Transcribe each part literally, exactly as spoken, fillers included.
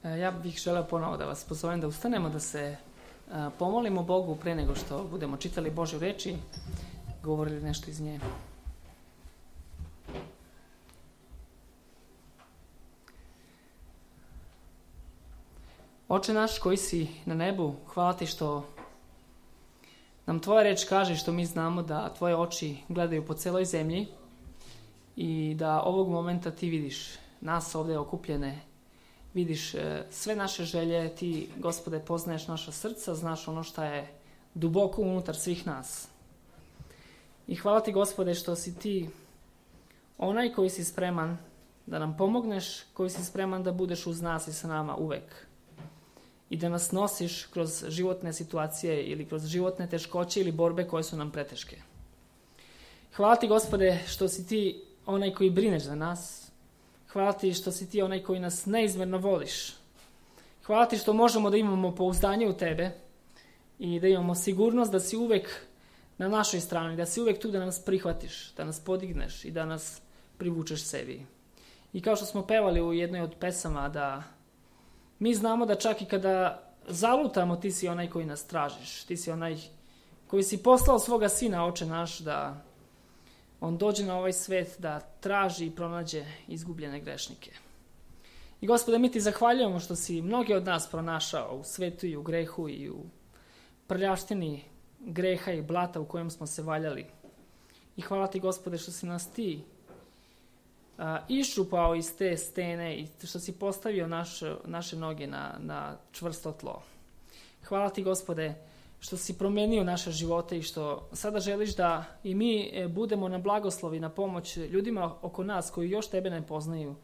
Ja bih želeo ponovo da vas pozovem da ustanemo, da se pomolimo Bogu pre nego što budemo čitali Božju reč i govorili nešto iz nje. Oče naš koji si na nebu, hvala ti što nam tvoja reč kaže, što mi znamo da tvoje oči gledaju po celoj zemlji i da ovog momenta ti vidiš nas ovdje okupljene, vidiš sve naše želje, ti, Gospode, poznaješ naša srca, znaš ono što je duboko unutar svih nas. I hvala ti, Gospode, što si ti onaj koji si spreman da nam pomogneš, koji si spreman da budeš uz nas i sa nama uvek. I da nas nosiš kroz životne situacije ili kroz životne teškoće ili borbe koje su nam preteške. Hvala ti, Gospode, što si ti onaj koji brineš za nas. Hvala ti što si ti onaj koji nas neizmjerno voliš. Hvala ti što možemo da imamo pouzdanje u tebe i da imamo sigurnost da si uvek na našoj strani, da si uvek tu da nas prihvatiš, da nas podigneš i da nas privučeš sebi. I kao što smo pevali u jednoj od pesama, da mi znamo da čak i kada zalutamo, ti si onaj koji nas tražiš. Ti si onaj koji si poslao svoga sina, Oče naš, da on dođe na ovaj svet, da traži i pronađe izgubljene grešnike. I, Gospode, mi ti zahvaljujemo što si mnoge od nas pronašao u svetu i u grehu i u prljaštini greha i blata u kojem smo se valjali. I hvala ti, Gospode, što si nas ti a, iščupao iz te stene i što si postavio naš, naše noge na, na čvrsto tlo. Hvala ti, Gospode, što si promenio naše živote i što sada želiš da i mi budemo na blagoslovi, na pomoć ljudima oko nas koji još tebe ne poznaju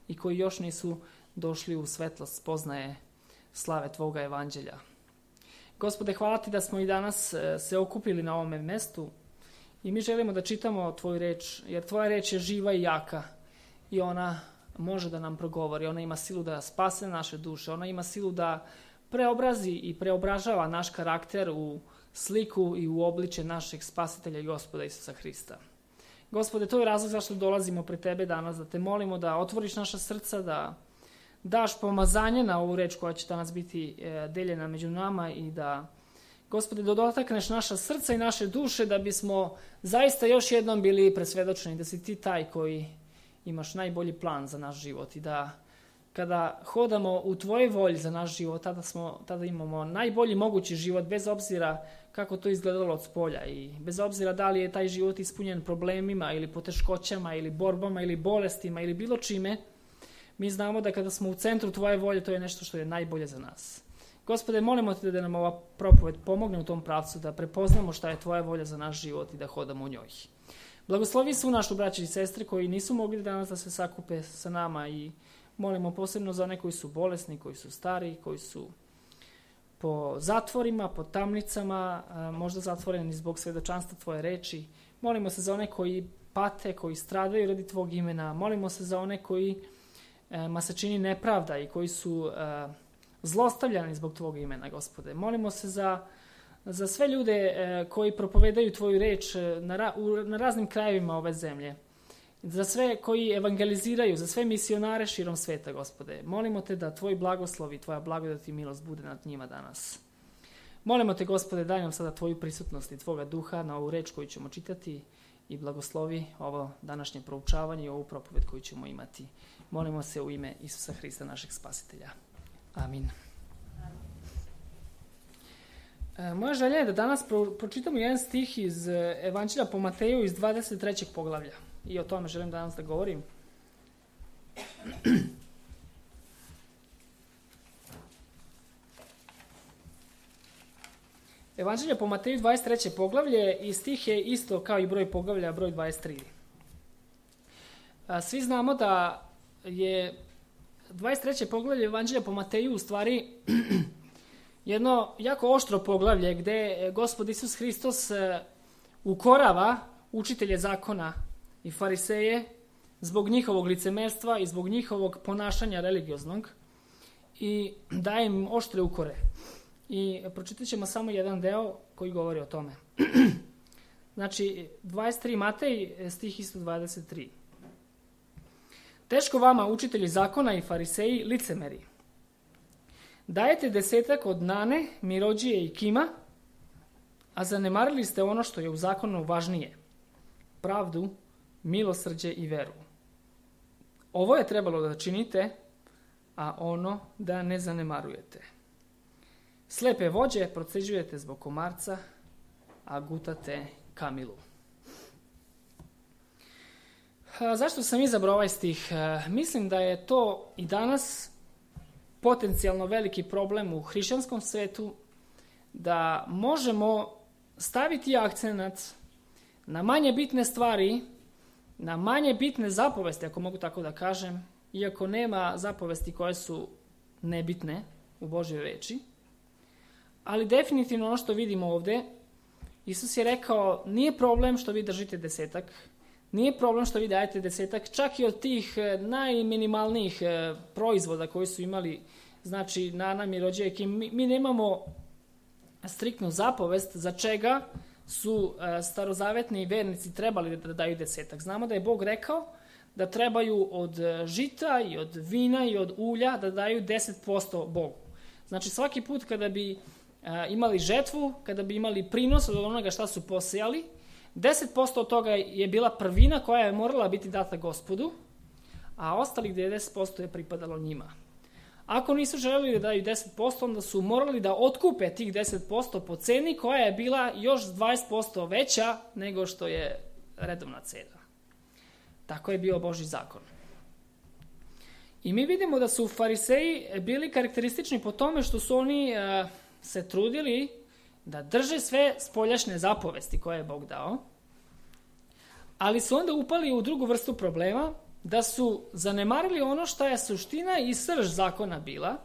i koji još nisu došli u svetlost spoznaje slave tvoga evanđelja. Gospode, hvala ti da smo i danas se okupili na ovome mestu i mi želimo da čitamo tvoju reč, jer tvoja reč je živa i jaka i ona može da nam progovori, ona ima silu da spase naše duše, ona ima silu da preobrazi i preobražava naš karakter u sliku i u obličje našeg spasitelja i Gospoda Isusa Hrista. Gospode, to je razlog zašto dolazimo pred tebe danas, da te molimo da otvoriš naša srca, da daš pomazanje na ovu reč koja će danas biti deljena među nama i da, Gospode, da dotakneš naša srca i naše duše da bismo zaista još jednom bili presvedočeni da si ti taj koji imaš najbolji plan za naš život i da kada hodamo u tvojoj volji za naš život, tada, smo, tada imamo najbolji mogući život, bez obzira kako to izgledalo od spolja i bez obzira da li je taj život ispunjen problemima ili poteškoćama ili borbama ili bolestima ili bilo čime, mi znamo da kada smo u centru tvoje volje, to je nešto što je najbolje za nas. Gospode, molimo te da nam ova propoved pomogne u tom pravcu, da prepoznamo šta je tvoja volja za naš život i da hodamo u njoj. Blagoslovi svu našu braću i sestre koji nisu mogli danas da se sakupe sa nama i molimo posebno za one koji su bolesni, koji su stari, koji su po zatvorima, po tamnicama, možda zatvoreni zbog svedočanstva tvoje reči. Molimo se za one koji pate, koji stradaju radi tvog imena. Molimo se za one koji ma se čini nepravda i koji su zlostavljani zbog tvog imena, Gospode. Molimo se za, za sve ljude koji propovedaju tvoju reč na, ra, u, na raznim krajevima ove zemlje. Za sve koji evangeliziraju, za sve misionare širom sveta, Gospode. Molimo te da tvoj blagoslov i tvoja blagodat i milost bude nad njima danas. Molimo te, Gospode, daj nam sada tvoju prisutnost i tvoga duha na ovu reč koju ćemo čitati i blagoslovi ovo današnje proučavanje i ovu propoved koju ćemo imati. Molimo se u ime Isusa Hrista, našeg spasitelja. Amin. E, moja želja je da danas pro, pročitamo jedan stih iz Evanđelja po Mateju iz dvadeset trećeg poglavlja. I o tome želim danas da govorim. Evanđelje po Mateju dvadeset treće poglavlje i stih je isto kao i broj poglavlja, broj dvadeset tri. Svi znamo da je dvadeset treće poglavlje Evanđelja po Mateju u stvari jedno jako oštro poglavlje gde Gospod Isus Hristos ukorava učitelje zakona i fariseje zbog njihovog licemerstva i zbog njihovog ponašanja religioznog i daje im oštre ukore. I pročitat ćemo samo jedan deo koji govori o tome. Znači, dvadeset tri Matej, stih isto dvadeset tri. Teško vama, učitelji zakona i fariseji, licemeri. Dajete desetak od Nane, Mirođije i Kima, a zanemarili ste ono što je u zakonu važnije. Pravdu, milosrđe i veru. Ovo je trebalo da činite, a ono da ne zanemarujete. Slepe vođe proceđujete zbog komarca, a gutate kamilu. A zašto sam izabrao ovaj stih? A, mislim da je to i danas potencijalno veliki problem u hrišćanskom svetu, da možemo staviti akcenat na manje bitne stvari, na manje bitne zapovesti, ako mogu tako da kažem, iako nema zapovesti koje su nebitne u Božjoj reči. Ali definitivno ono što vidimo ovde, Isus je rekao, nije problem što vi držite desetak, nije problem što vi dajete desetak, čak i od tih najminimalnijih proizvoda koji su imali, znači Nana, Mirođije, mi, mi nemamo striktnu zapovest za čega su starozavetni vernici trebali da daju desetak. Znamo da je Bog rekao da trebaju od žita i od vina i od ulja da daju deset posto Bogu. Znači svaki put kada bi imali žetvu, kada bi imali prinos od onoga šta su posejali, deset posto od toga je bila prvina koja je morala biti data Gospodu, a ostalih devedeset posto je pripadalo njima. Ako nisu želeli da daju deset posto, onda su morali da otkupe tih deset posto po ceni koja je bila još dvadeset posto veća nego što je redovna cena. Tako je bio Božji zakon. I mi vidimo da su fariseji bili karakteristični po tome što su oni uh, se trudili da drže sve spoljašnje zapovesti koje je Bog dao, ali su onda upali u drugu vrstu problema, da su zanemarili ono što je suština i srž zakona bila,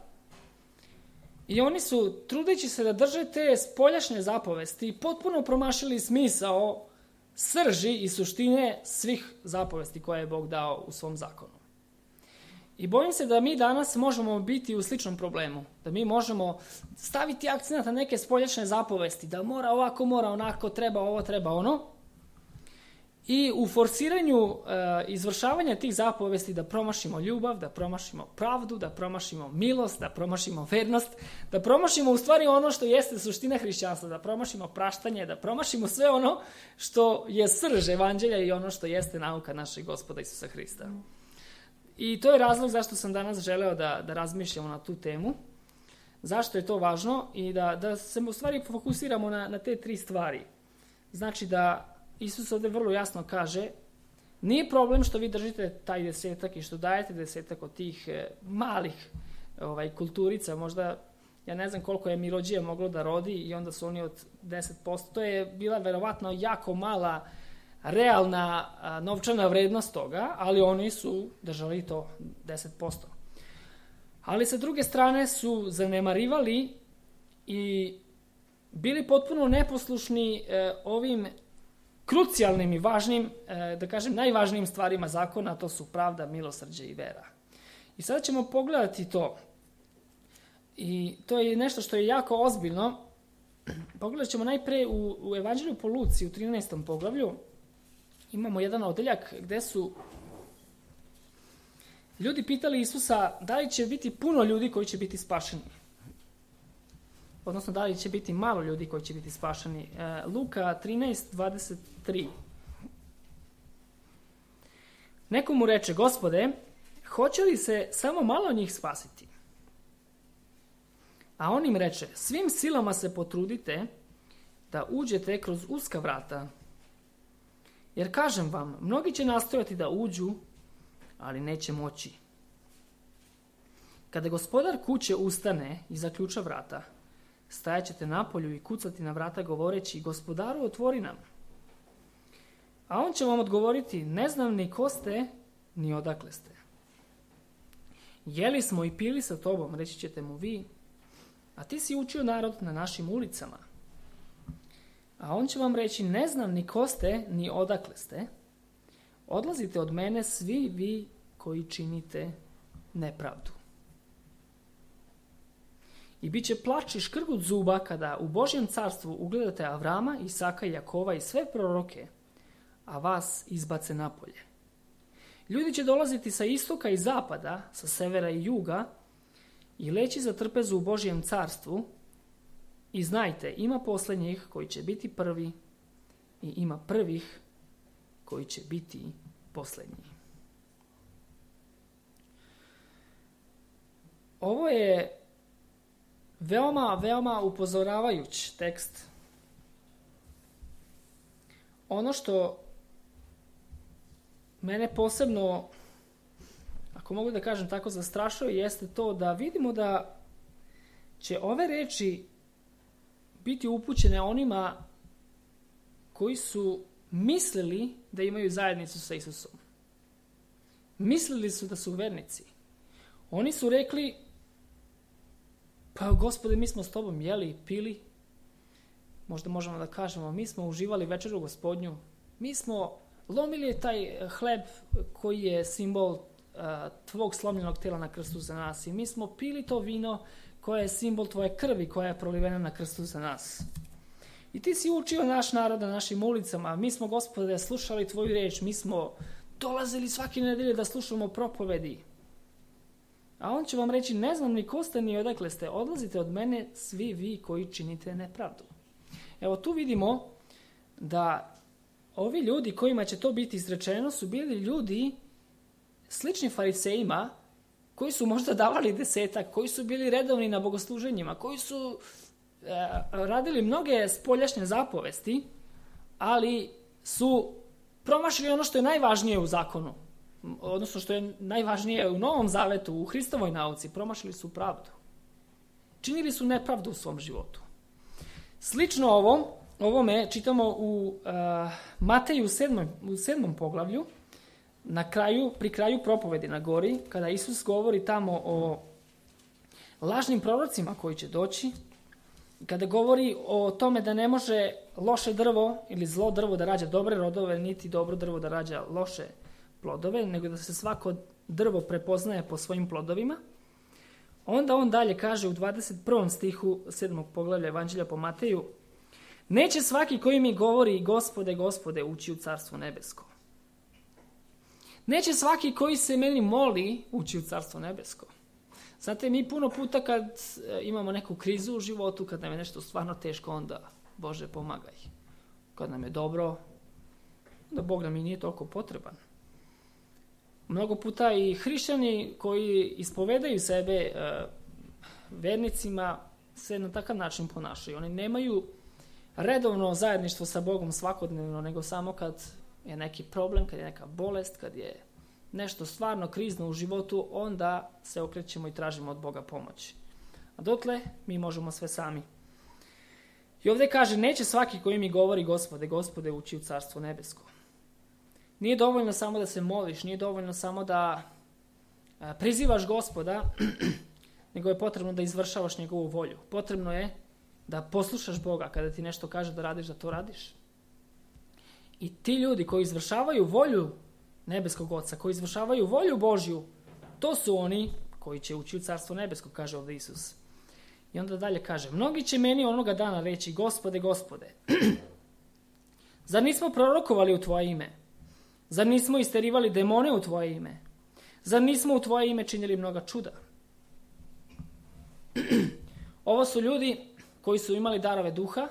i oni su, trudeći se da drže te spoljašnje zapovesti, potpuno promašili smisao srži i suštine svih zapovesti koje je Bog dao u svom zakonu. I bojim se da mi danas možemo biti u sličnom problemu, da mi možemo staviti akcent na neke spoljašnje zapovesti, da mora ovako, mora onako, treba ovo, treba ono, i u forsiranju e, izvršavanja tih zapovesti da promašimo ljubav, da promašimo pravdu, da promašimo milost, da promašimo vernost, da promašimo u stvari ono što jeste suština hrišćanstva, da promašimo praštanje, da promašimo sve ono što je srž evanđelja i ono što jeste nauka našeg Gospoda Isusa Hrista. I to je razlog zašto sam danas želeo da, da razmišljamo na tu temu, zašto je to važno i da, da se u stvari fokusiramo na, na te tri stvari. Znači da Isus ovde vrlo jasno kaže, nije problem što vi držite taj desetak i što dajete desetak od tih e, malih ovaj, kulturica, možda, ja ne znam koliko je Mirođija moglo da rodi i onda su oni od deset posto, to je bila verovatno jako mala realna a, novčana vrednost toga, ali oni su držali to deset posto. Ali sa druge strane su zanemarivali i bili potpuno neposlušni e, ovim krucijalnim i važnim, da kažem, najvažnijim stvarima zakona, a to su pravda, milosrđe i vera. I sada ćemo pogledati to. I to je nešto što je jako ozbiljno. Pogledat ćemo najpre u, u Evanđelju po Luci, u trinaestom poglavlju. Imamo jedan odeljak gde su ljudi pitali Isusa da li će biti puno ljudi koji će biti spašeni. Odnosno, da li će biti malo ljudi koji će biti spašeni. Luka trinaest dvadeset tri. Neko mu reče, Gospode, hoće li se samo malo njih spasiti? A on im reče, svim silama se potrudite da uđete kroz uska vrata. Jer kažem vam, mnogi će nastojati da uđu, ali neće moći. Kada gospodar kuće ustane i zaključa vrata, stajaćete napolju i kucati na vrata govoreći, gospodaru, otvori nam. A on će vam odgovoriti, ne znam ni ko ste, ni odakle ste. Jeli smo i pili sa tobom, reći ćete mu vi, a ti si učio narod na našim ulicama. A on će vam reći, ne znam ni ko ste, ni odakle ste. Odlazite od mene svi vi koji činite nepravdu. I bit će plač i škrgut zuba kada u Božjem carstvu ugledate Avrama, Isaka, Jakova i sve proroke, a vas izbace napolje. Ljudi će dolaziti sa istoka i zapada, sa severa i juga, i leći za trpezu u Božjem carstvu. I znajte, ima posljednjih koji će biti prvi i ima prvih koji će biti posljednji. Ovo je veoma, veoma upozoravajući tekst. Ono što mene posebno, ako mogu da kažem tako, zastrašuje, jeste to da vidimo da će ove reči biti upućene onima koji su mislili da imaju zajednicu sa Isusom. Mislili su da su vernici. Oni su rekli, pa Gospode, mi smo s tobom jeli, pili, možda možemo da kažemo, mi smo uživali večeru Gospodnju, mi smo lomili taj hleb koji je simbol uh, tvog slomljenog tela na krstu za nas i mi smo pili to vino koje je simbol tvoje krvi koja je prolivena na krstu za nas. I ti si učio naš narod na našim ulicama, mi smo, Gospode, slušali tvoju reč, mi smo dolazili svake nedelje da slušamo propovedi. A on će vam reći, ne znam ni ko ste ni odakle ste, odlazite od mene svi vi koji činite nepravdu. Evo tu vidimo da ovi ljudi kojima će to biti izrečeno su bili ljudi slični farisejima koji su možda davali desetak, koji su bili redovni na bogosluženjima, koji su e, radili mnoge spoljašnje zapovesti, ali su promašili ono što je najvažnije u zakonu, odnosno što je najvažnije u Novom Zavetu, u Hristovoj nauci, promašili su pravdu. Činili su nepravdu u svom životu. Slično ovom, ovome čitamo u uh, Mateju sedmom, u sedmom poglavlju, na kraju, pri kraju propovedi na gori, kada Isus govori tamo o lažnim prorocima koji će doći, kada govori o tome da ne može loše drvo ili zlo drvo da rađa dobre rodove, niti dobro drvo da rađa loše plodove, nego da se svako drvo prepoznaje po svojim plodovima. Onda on dalje kaže u dvadeset prvom stihu sedmog poglavlja Evanđelja po Mateju: neće svaki koji mi govori Gospode, Gospode ući u Carstvo nebesko. Neće svaki koji se meni moli ući u Carstvo nebesko. Znate, mi puno puta kad imamo neku krizu u životu, kad nam je nešto stvarno teško, onda Bože pomagaj. Kad nam je dobro, da Bog nam i nije toliko potreban. Mnogo puta i hrišćani koji ispovedaju sebe uh, vernicima se na takav način ponašaju. Oni nemaju redovno zajedništvo sa Bogom svakodnevno, nego samo kad je neki problem, kad je neka bolest, kad je nešto stvarno krizno u životu, onda se okrećemo i tražimo od Boga pomoć. A dotle mi možemo sve sami. I ovdje kaže, neće svaki koji mi govori Gospode, Gospode ući u Carstvo nebesko. Nije dovoljno samo da se moliš, nije dovoljno samo da prizivaš Gospoda, nego je potrebno da izvršavaš njegovu volju. Potrebno je da poslušaš Boga kada ti nešto kaže da radiš, da to radiš. I ti ljudi koji izvršavaju volju nebeskog Oca, koji izvršavaju volju Božju, to su oni koji će ući u Carstvo nebesko, kaže ovdje Isus. I onda dalje kaže, mnogi će meni onoga dana reći, Gospode, Gospode, zar nismo prorokovali u tvoje ime? Zar nismo isterivali demone u tvoje ime? Zar nismo u tvoje ime činili mnoga čuda? Ovo su ljudi koji su imali darove duha,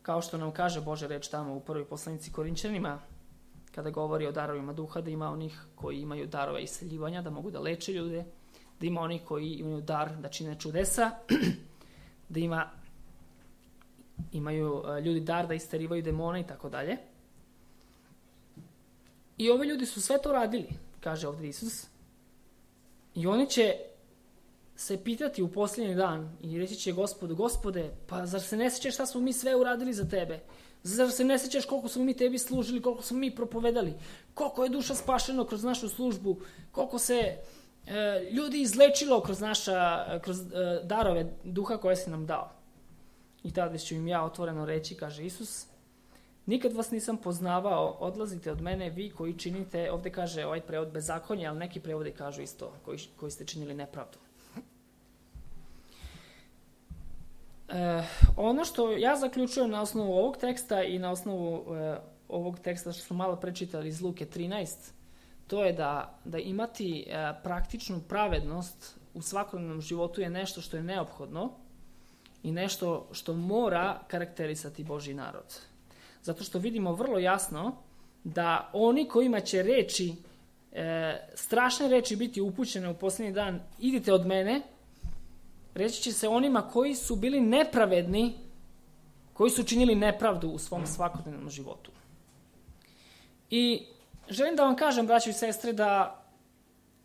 kao što nam kaže Božja reč tamo u prvoj poslanici Korinćanima, kada govori o darovima duha, da ima onih koji imaju darove isceljivanja, da mogu da leče ljude, da ima onih koji imaju dar da čine čudesa, da ima, imaju ljudi dar da isterivaju demone i tako dalje. I ovi ljudi su sve to radili, kaže ovdje Isus. I oni će se pitati u posljednji dan i reći će Gospodu, Gospode, pa zar se ne sjećaš šta smo mi sve uradili za tebe? Zar se ne sjećaš koliko smo mi tebi služili, koliko smo mi propovedali, koliko je duša spašeno kroz našu službu, koliko se e, ljudi izlečilo kroz, naša, kroz e, darove duha koje si nam dao. I tada ću im ja otvoreno reći, kaže Isus, nikad vas nisam poznavao, odlazite od mene vi koji činite, ovdje kaže ovaj prevod bezakonje, ali neki prevodi kažu isto, koji, koji ste činili nepravdu. E, ono što ja zaključujem na osnovu ovog teksta i na osnovu e, ovog teksta što smo malo prečitali iz Luke trinaest, to je da, da imati e, praktičnu pravednost u svakodnevnom životu je nešto što je neophodno i nešto što mora karakterisati Božji narod. Zato što vidimo vrlo jasno da oni kojima će reči, e, strašne reči biti upućene u posljednji dan, idite od mene, reći će se onima koji su bili nepravedni, koji su činili nepravdu u svom svakodnevnom životu. I želim da vam kažem, braćo i sestre, da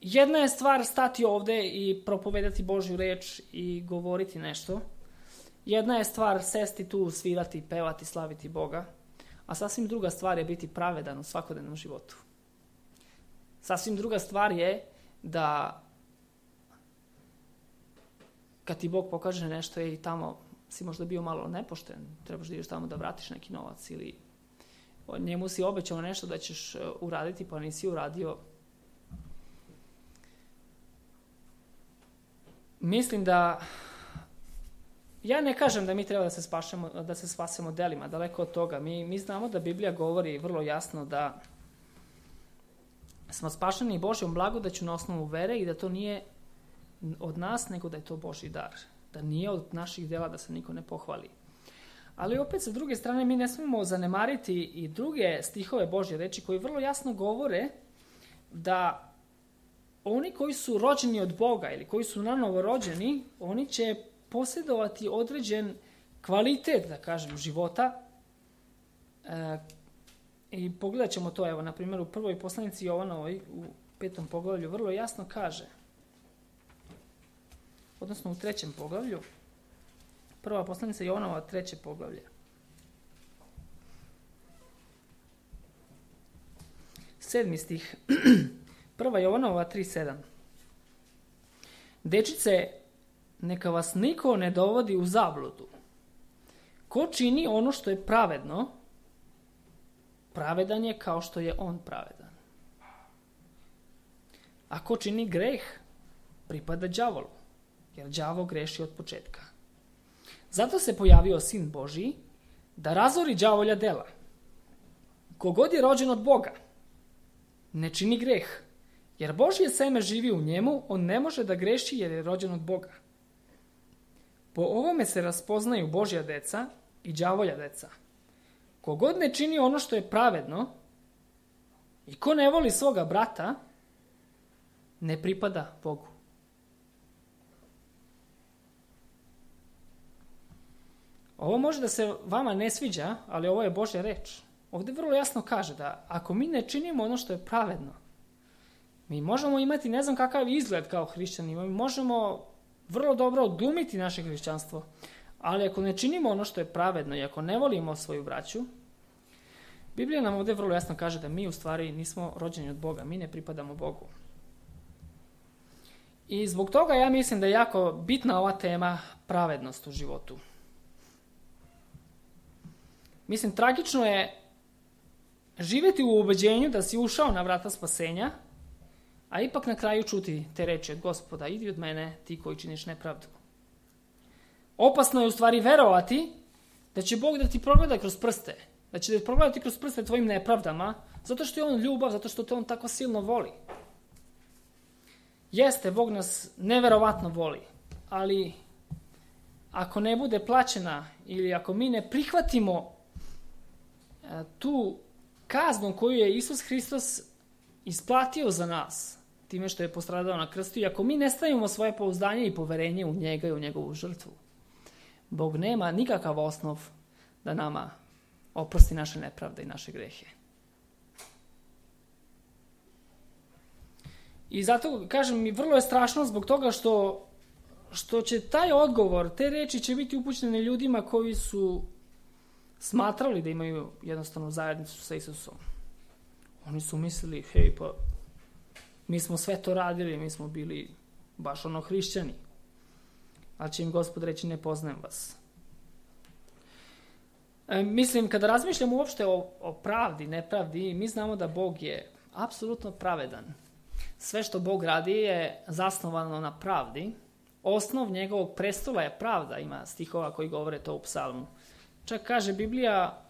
jedna je stvar stati ovde i propovedati Božju reč i govoriti nešto. Jedna je stvar sesti tu, svirati, pevati, slaviti Boga, a sasvim druga stvar je biti pravedan u svakodnevnom životu. Sasvim druga stvar je da kad ti Bog pokaže nešto i tamo si možda bio malo nepošten, trebaš da ideš tamo da vratiš neki novac ili njemu si obećao nešto da ćeš uraditi pa nisi uradio. Mislim da ja ne kažem da mi treba da se spašemo, da se spasemo delima, daleko od toga. Mi, mi znamo da Biblija govori vrlo jasno da smo spašeni Božjom blagodaću na osnovu vere i da to nije od nas, nego da je to Božji dar. Da nije od naših dela, da se niko ne pohvali. Ali opet sa druge strane mi ne smemo zanemariti i druge stihove Božje reči koji vrlo jasno govore da oni koji su rođeni od Boga ili koji su nanovo rođeni, oni će posjedovati određen kvalitet, da kažem, života. E, I pogledat ćemo to, evo, na primjer, u prvoj poslanici Jovanovoj, u petom poglavlju, vrlo jasno kaže, odnosno u trećem poglavlju, prva poslanica Jovanova, treće poglavlje. Sedmi stih, prva Jovanova, tri sedam. Dečice, neka vas niko ne dovodi u zabludu. Ko čini ono što je pravedno, pravedan je kao što je on pravedan. A ko čini greh, pripada đavolu, jer đavo greši od početka. Zato se pojavio Sin Božji, da razori đavolja dela. Kogod je rođen od Boga, ne čini greh, jer Božje seme živi u njemu, on ne može da greši jer je rođen od Boga. Po ovome se raspoznaju Božja deca i đavolja deca. Kogod ne čini ono što je pravedno i ko ne voli svoga brata, ne pripada Bogu. Ovo može da se vama ne sviđa, ali ovo je Božja reč. Ovdje vrlo jasno kaže da ako mi ne činimo ono što je pravedno, mi možemo imati ne znam kakav izgled kao hrišćani, mi možemo vrlo dobro odglumiti naše hrišćanstvo, ali ako ne činimo ono što je pravedno i ako ne volimo svoju braću, Biblija nam ovdje vrlo jasno kaže da mi u stvari nismo rođeni od Boga, mi ne pripadamo Bogu. I zbog toga ja mislim da je jako bitna ova tema pravednost u životu. Mislim, tragično je živjeti u ubeđenju da si ušao na vrata spasenja, a ipak na kraju čuti te reči od Gospoda, idi od mene, ti koji činiš nepravdu. Opasno je u stvari verovati da će Bog da ti progleda kroz prste, da će da progledati kroz prste tvojim nepravdama, zato što je on ljubav, zato što te on tako silno voli. Jeste, Bog nas neverovatno voli, ali ako ne bude plaćena ili ako mi ne prihvatimo tu kaznu koju je Isus Hristos isplatio za nas, time što je postradao na krstu, i ako mi ne stavimo svoje pouzdanje i poverenje u njega i u njegovu žrtvu, Bog nema nikakav osnov da nama oprosti naše nepravde i naše grehe. I zato, kažem mi, vrlo je strašno zbog toga što, što će taj odgovor, te reči će biti upućene ljudima koji su smatrali da imaju jednostavno zajednicu sa Isusom. Oni su mislili, hej, pa mi smo sve to radili, mi smo bili baš ono hrišćani. Ali će im Gospod reći, ne poznajem vas. E, mislim, kada razmišljam uopšte o, o pravdi, nepravdi, mi znamo da Bog je apsolutno pravedan. Sve što Bog radi je zasnovano na pravdi. Osnov njegovog prestola je pravda, ima stihova koji govore to u psalmu. Čak kaže Biblija,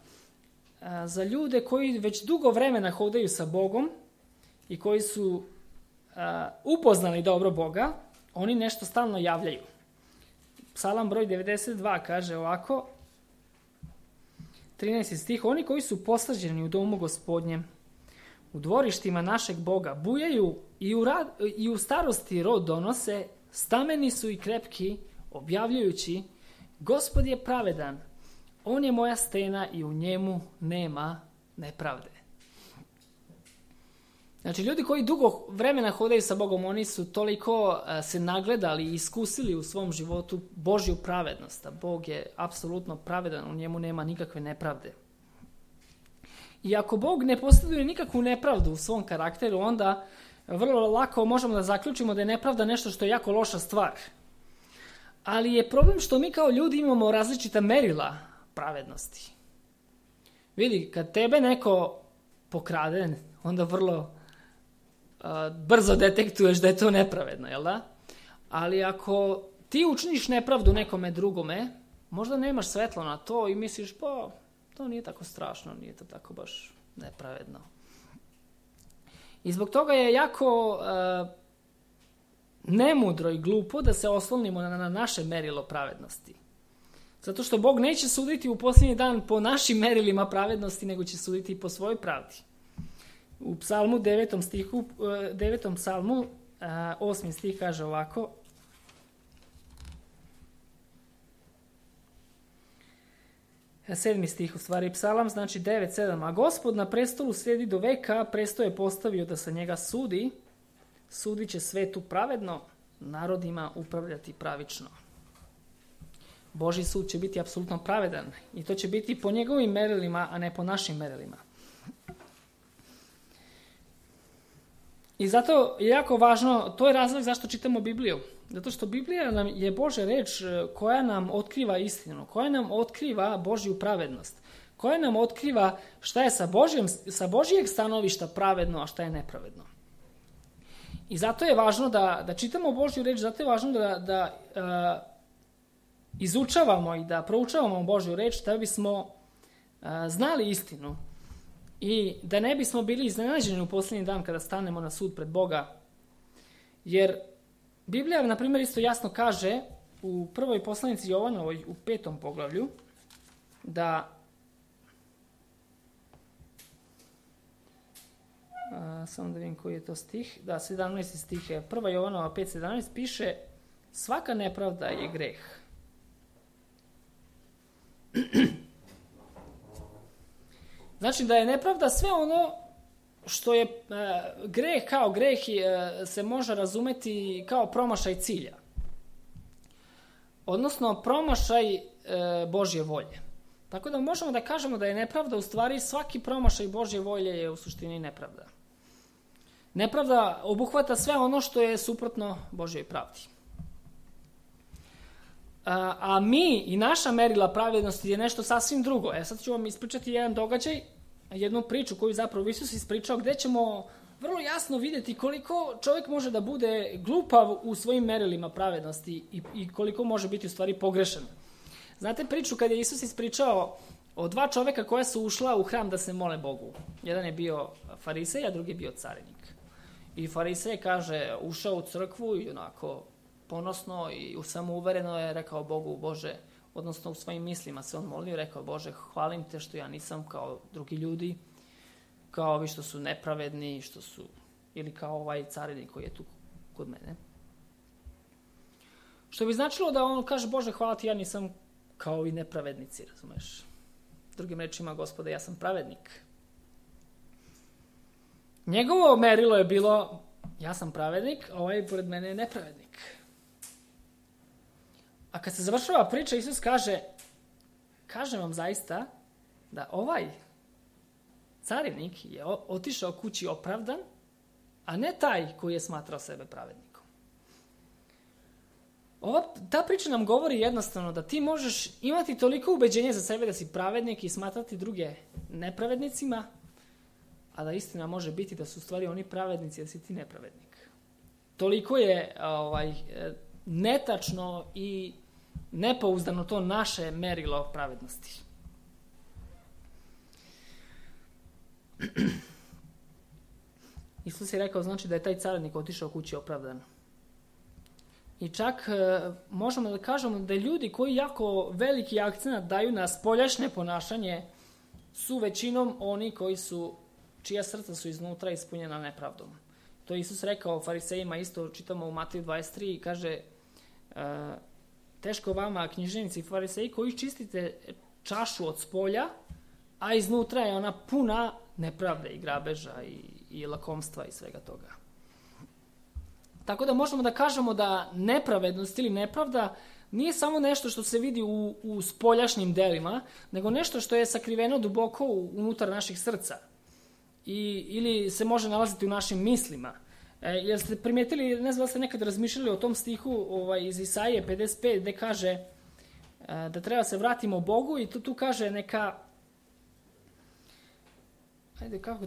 za ljude koji već dugo vremena hodaju sa Bogom i koji su uh, upoznali dobro Boga, oni nešto stalno javljaju. Psalam broj devedeset dva kaže ovako, trinaesti stih, oni koji su posađeni u domu Gospodnjem, u dvorištima našeg Boga, bujaju i u, rad, i u starosti rod donose, stameni su i krepki, objavljujući, Gospod je pravedan, on je moja stena i u njemu nema nepravde. Znači, ljudi koji dugo vremena hodaju sa Bogom, oni su toliko se nagledali i iskusili u svom životu Božju pravednost. A Bog je apsolutno pravedan, u njemu nema nikakve nepravde. I ako Bog ne posjeduje nikakvu nepravdu u svom karakteru, onda vrlo lako možemo da zaključimo da je nepravda nešto što je jako loša stvar. Ali je problem što mi kao ljudi imamo različita merila pravednosti. Vidi, kad tebe neko pokrade, onda vrlo uh, brzo detektuješ da je to nepravedno, jel da? Ali ako ti učiniš nepravdu nekome drugome, možda nemaš svetlo na to i misliš, pa, to nije tako strašno, nije to tako baš nepravedno. I zbog toga je jako uh, nemudro i glupo da se oslonimo na, na naše merilo pravednosti. Zato što Bog neće suditi u posljednji dan po našim merilima pravednosti, nego će suditi po svojoj pravdi. U psalmu devetom stihu, devetom psalmu, osmi stih kaže ovako, sedmi stih u stvari psalam, znači devet sedam, a Gospod na prestolu sjedi do veka, presto je postavio da se njega sudi, sudit će svetu pravedno, narodima upravljati pravično. Božji sud će biti apsolutno pravedan i to će biti po njegovim merilima, a ne po našim merilima. I zato je jako važno, to je razlog zašto čitamo Bibliju. Zato što Biblija nam je Božja reč koja nam otkriva istinu, koja nam otkriva Božju pravednost, koja nam otkriva šta je sa, Božjem, sa Božjeg stanovišta pravedno, a šta je nepravedno. I zato je važno da, da čitamo Božju reč, zato je važno da, da uh, izučavamo i da proučavamo Božju reč, da bismo uh, znali istinu i da ne bismo bili iznenađeni u posljednji dan kada stanemo na sud pred Boga. Jer Biblija, na primjer, isto jasno kaže u prvoj poslanici Jovanovoj, u petom poglavlju, da a, samo da vidim koji je to stih, da, sedamnaesti stih je, prva Jovanova pet sedamnaest piše, svaka nepravda je greh. Znači da je nepravda sve ono što je e, greh kao greh e, se može razumeti kao promašaj cilja. Odnosno promašaj e, Božje volje. Tako da možemo da kažemo da je nepravda u stvari svaki promašaj Božje volje je u suštini nepravda. Nepravda obuhvata sve ono što je suprotno Božjoj pravdi. A, a mi i naša merila pravednosti je nešto sasvim drugo. E sad ću vam ispričati jedan događaj, jednu priču koju zapravo Isus ispričao, gde ćemo vrlo jasno vidjeti koliko čovjek može da bude glupav u svojim merilima pravednosti i, i koliko može biti u stvari pogrešan. Znate priču kad je Isus ispričao o dva čovjeka koja su ušla u hram da se mole Bogu. Jedan je bio farisej, a drugi je bio carinik. I farisej kaže, ušao u crkvu i onako ponosno i samouvereno je rekao Bogu, Bože, odnosno u svojim mislima se on molio i rekao, Bože, hvalim te što ja nisam kao drugi ljudi, kao ovi što su nepravedni, što su, ili kao ovaj carinik koji je tu kod mene. Što bi značilo da on kaže, Bože, hvala ti, ja nisam kao i nepravednici, razumeš? Drugim rečima, Gospode, ja sam pravednik. Njegovo merilo je bilo, ja sam pravednik, a ovaj pored mene je nepravednik. A kad se završava priča, Isus kaže, kažem vam zaista da ovaj carinik je otišao kući opravdan, a ne taj koji je smatrao sebe pravednikom. Ova, ta priča nam govori jednostavno da ti možeš imati toliko ubeđenja za sebe da si pravednik i smatrati druge nepravednicima, a da istina može biti da su u stvari oni pravednici, da si ti nepravednik. Toliko je ovaj, netačno i nepouzdano to naše merilo pravednosti. Isus je rekao, znači da je taj carinik otišao kući opravdan. I čak e, možemo da kažemo da ljudi koji jako veliki akcenat daju na spoljašnje ponašanje su većinom oni koji su, čija srca su iznutra ispunjena nepravdom. To je Isus rekao farisejima, isto čitamo u Mateju dvadeset tri i kaže e, teško vama književnici i fariseji koji čistite čašu od spolja, a iznutra je ona puna nepravde i grabeža i, i lakomstva i svega toga. Tako da možemo da kažemo da nepravednost ili nepravda nije samo nešto što se vidi u, u spoljašnjim delima, nego nešto što je sakriveno duboko unutar naših srca. I, ili se može nalaziti u našim mislima. E, jer ste primijetili, ne znam da ste nekad razmišljali o tom stihu ovaj, iz Isaije pedeset pet, gde kaže e, da treba se vratimo Bogu i tu, tu kaže neka, ajde, kako,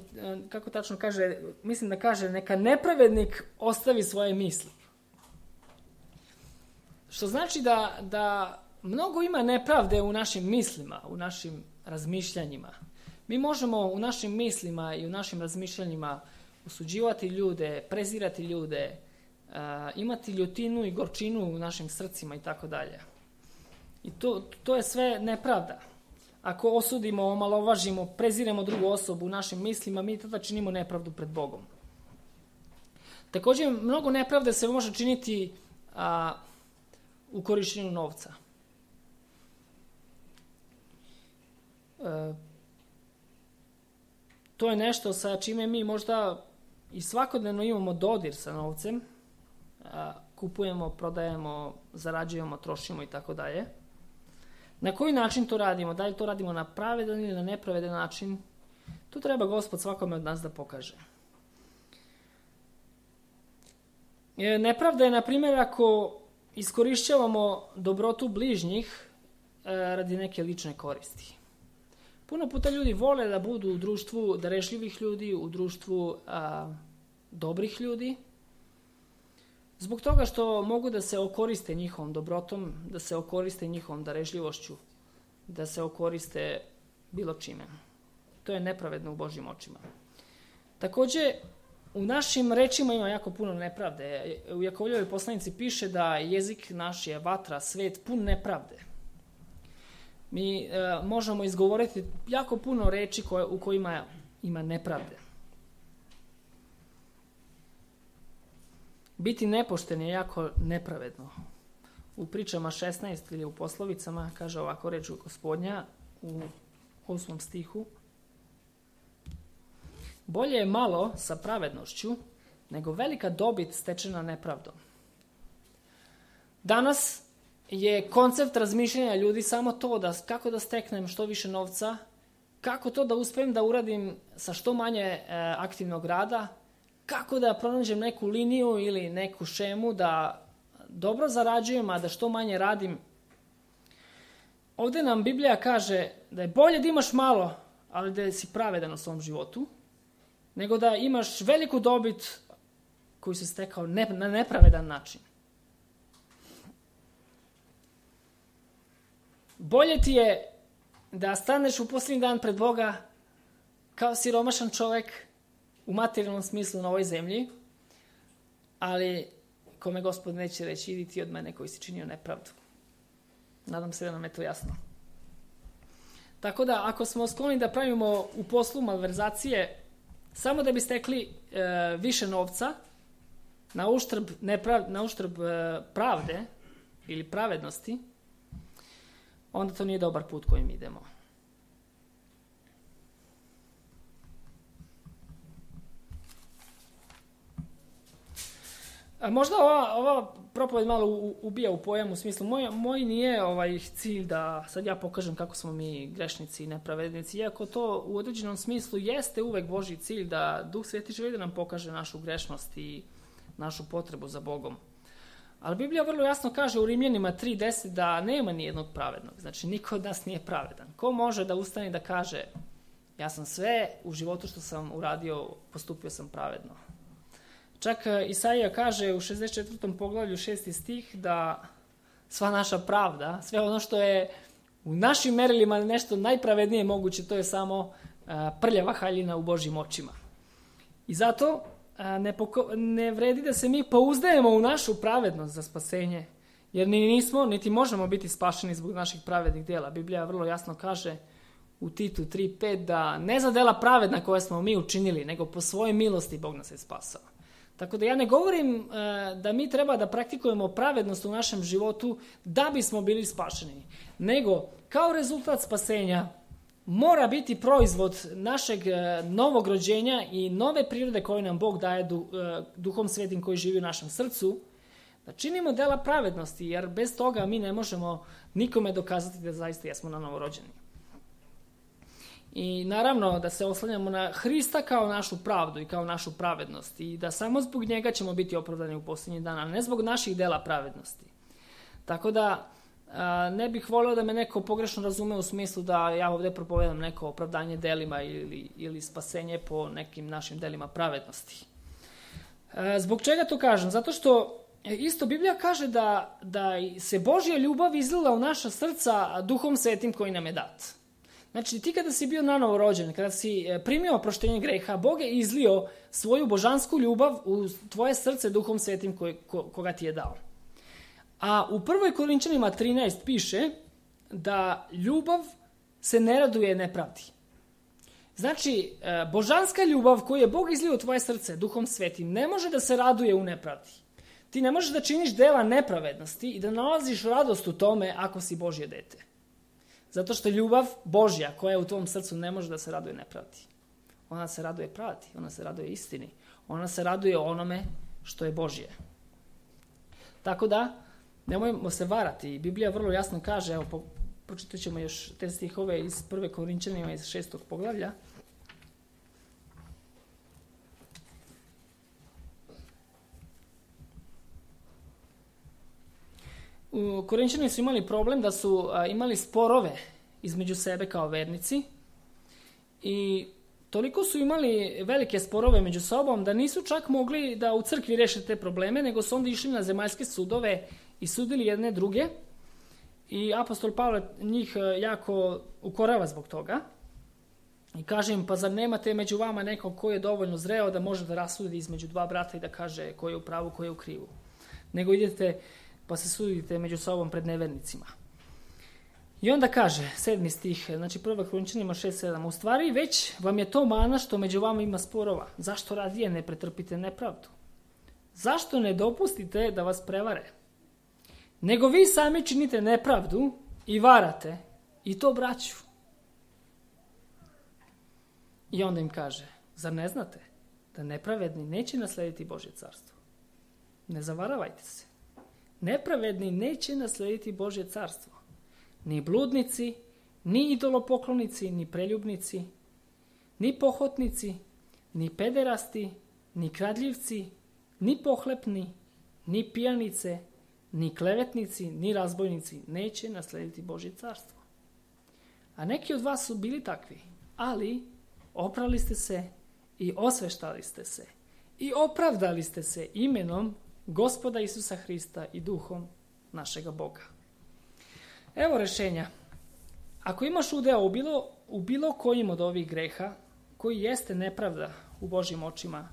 kako tačno kaže, mislim da kaže neka nepravednik ostavi svoje misli. Što znači da, da mnogo ima nepravde u našim mislima, u našim razmišljanjima. Mi možemo u našim mislima i u našim razmišljanjima osuđivati ljude, prezirati ljude, uh, imati ljutinu i gorčinu u našim srcima i tako dalje. I to, to je sve nepravda. Ako osudimo, omalovažimo, preziremo drugu osobu u našim mislima, mi tada činimo nepravdu pred Bogom. Također, mnogo nepravde se može činiti a, u korištenju novca. E, to je nešto sa čime mi možda i svakodnevno imamo dodir sa novcem. A, kupujemo, prodajemo, zarađujemo, trošimo i tako dalje. Na koji način to radimo? Da li to radimo na pravedan ili na nepravedan način? Tu treba Gospod svakome od nas da pokaže. Nepravda je, na primjer, ako iskorišćavamo dobrotu bližnjih radi neke lične koristi. Puno puta ljudi vole da budu u društvu darešljivih ljudi, u društvu a, dobrih ljudi, zbog toga što mogu da se okoriste njihovom dobrotom, da se okoriste njihovom darežljivošću, da se okoriste bilo čime. To je nepravedno u Božjim očima. Također, u našim rečima ima jako puno nepravde. U Jakovljevoj poslanici piše da jezik naš je vatra, svet pun nepravde. Mi e, možemo izgovoriti jako puno reči koje, u kojima ima nepravde. Biti nepošten je jako nepravedno. U pričama šesnaest ili u poslovicama kaže ovako reč Gospodnja u osmom stihu. Bolje je malo sa pravednošću nego velika dobit stečena nepravdom. Danas je koncept razmišljanja ljudi samo to da kako da steknem što više novca, kako to da uspijem da uradim sa što manje e, aktivnog rada, kako da pronađem neku liniju ili neku šemu da dobro zarađujem, a da što manje radim. Ovdje nam Biblija kaže da je bolje da imaš malo, ali da si pravedan u svom životu, nego da imaš veliku dobit koju si stekao ne, na nepravedan način. Bolje ti je da staneš u posljednji dan pred Boga kao siromašan čovjek u materijalnom smislu na ovoj zemlji, ali kome Gospod neće reći idi ti od mene koji si činio nepravdu. Nadam se da nam je to jasno. Tako da ako smo skloni da pravimo u poslu malverzacije samo da bi stekli e, više novca na uštrb, neprav, na uštrb e, pravde ili pravednosti, onda to nije dobar put kojim idemo. A možda ova, ova propoved malo ubija u pojam u smislu, moj, moj nije ovaj cilj da sad ja pokažem kako smo mi grešnici i nepravednici, iako to u određenom smislu jeste uvek Božji cilj da Duh Sveti želi da nam pokaže našu grešnost i našu potrebu za Bogom. Ali Biblija vrlo jasno kaže u Rimljanima tri deset da nema nijednog pravednog, znači niko od nas nije pravedan. Ko može da ustane i da kaže ja sam sve u životu što sam uradio, postupio sam pravedno. Čak Isaija kaže u šezdeset četvrtom poglavlju šesti stih da sva naša pravda, sve ono što je u našim merilima nešto najpravednije moguće, to je samo prljava haljina u Božjim očima. I zato ne, poko- ne vredi da se mi pouzdajemo u našu pravednost za spasenje, jer ni nismo, niti možemo biti spašeni zbog naših pravednih djela. Biblija vrlo jasno kaže u Titu tri pet da ne za djela pravedna koje smo mi učinili, nego po svojoj milosti Bog nas je spasao. Tako da ja ne govorim e, da mi treba da praktikujemo pravednost u našem životu da bismo bili spašeni, nego kao rezultat spasenja mora biti proizvod našeg e, novog rođenja i nove prirode koju nam Bog daje du, e, Duhom Svetim koji živi u našem srcu, da činimo dela pravednosti, jer bez toga mi ne možemo nikome dokazati da zaista jesmo na novo rođeni. I naravno da se oslanjamo na Hrista kao našu pravdu i kao našu pravednost i da samo zbog njega ćemo biti opravdani u posljednjih dana, ne zbog naših dela pravednosti. Tako da a, ne bih volio da me neko pogrešno razume u smislu da ja ovdje propovedam neko opravdanje delima ili, ili spasenje po nekim našim delima pravednosti. A, zbog čega to kažem? Zato što isto Biblija kaže da, da se Božja ljubav izlila u naša srca Duhom Svetim koji nam je dat. Znači, ti kada si bio nanovo rođen, kada si primio oproštenje greha, Bog je izlio svoju božansku ljubav u tvoje srce Duhom Svetim koji, ko, koga ti je dao. A u prvoj Korinčanima trinaest piše da ljubav se ne raduje nepravdi. Znači, božanska ljubav koju je Bog izlio u tvoje srce Duhom Svetim ne može da se raduje u nepravdi. Ti ne možeš da činiš dela nepravednosti i da nalaziš radost u tome ako si Božje dete. Zato što ljubav Božja koja je u tvom srcu ne može da se raduje nepravdi. Ona se raduje pravdi, ona se raduje istini, ona se raduje onome što je Božje. Tako da, nemojmo se varati. Biblija vrlo jasno kaže, evo, po, pročitat ćemo još te stihove iz prve Korinčanima iz šestog poglavlja. U Korinčani su imali problem da su a, imali sporove između sebe kao vernici i toliko su imali velike sporove među sobom da nisu čak mogli da u crkvi reše te probleme, nego su onda išli na zemaljske sudove i sudili jedne druge i apostol Pavle njih jako ukorava zbog toga i kaže im, pa zar nemate među vama nekog ko je dovoljno zreo da može da rasudi između dva brata i da kaže ko je u pravu, ko je u krivu, nego idete pa se sudite među sobom pred nevernicima. I onda kaže, sedmi stih, znači prva Korinčanima šest sedam, u stvari već vam je to mana što među vama ima sporova. Zašto radije ne pretrpite nepravdu? Zašto ne dopustite da vas prevare? Nego vi sami činite nepravdu i varate, i to braću. I onda im kaže, zar ne znate da nepravedni neće naslediti Božje carstvo? Ne zavaravajte se. Nepravedni neće naslediti Božje carstvo. Ni bludnici, ni idolopoklonici, ni preljubnici, ni pohotnici, ni pederasti, ni kradljivci, ni pohlepni, ni pijanice, ni klevetnici, ni razbojnici neće naslediti Božje carstvo. A neki od vas su bili takvi, ali oprali ste se i osveštali ste se i opravdali ste se imenom Gospoda Isusa Hrista i duhom našega Boga. Evo rešenja. Ako imaš udeo u bilo, u bilo kojim od ovih greha, koji jeste nepravda u Božjim očima,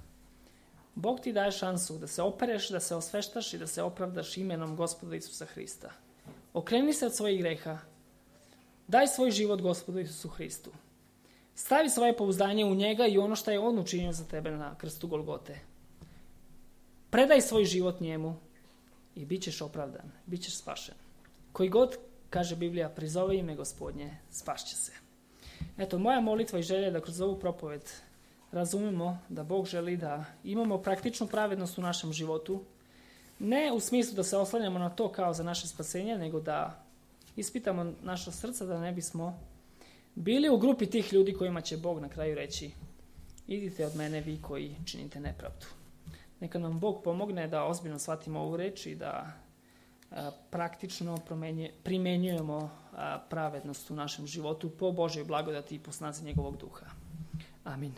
Bog ti daje šansu da se opereš, da se osveštaš i da se opravdaš imenom Gospoda Isusa Hrista. Okreni se od svojih greha. Daj svoj život Gospodu Isusu Hristu. Stavi svoje pouzdanje u njega i ono što je on učinio za tebe na krstu Golgote. Predaj svoj život njemu i bit ćeš opravdan, bit ćeš spašen. Koji god, kaže Biblija, prizove ime Gospodnje, spašće se. Eto, moja molitva i želja je da kroz ovu propoved razumemo da Bog želi da imamo praktičnu pravednost u našem životu, ne u smislu da se oslanjamo na to kao za naše spasenje, nego da ispitamo naša srca da ne bismo bili u grupi tih ljudi kojima će Bog na kraju reći, idite od mene vi koji činite nepravdu. Neka nam Bog pomogne da ozbiljno shvatimo ovu reč i da a, praktično promenje, primenjujemo a, pravednost u našem životu po Božoj blagodati i po snazi njegovog duha. Amin.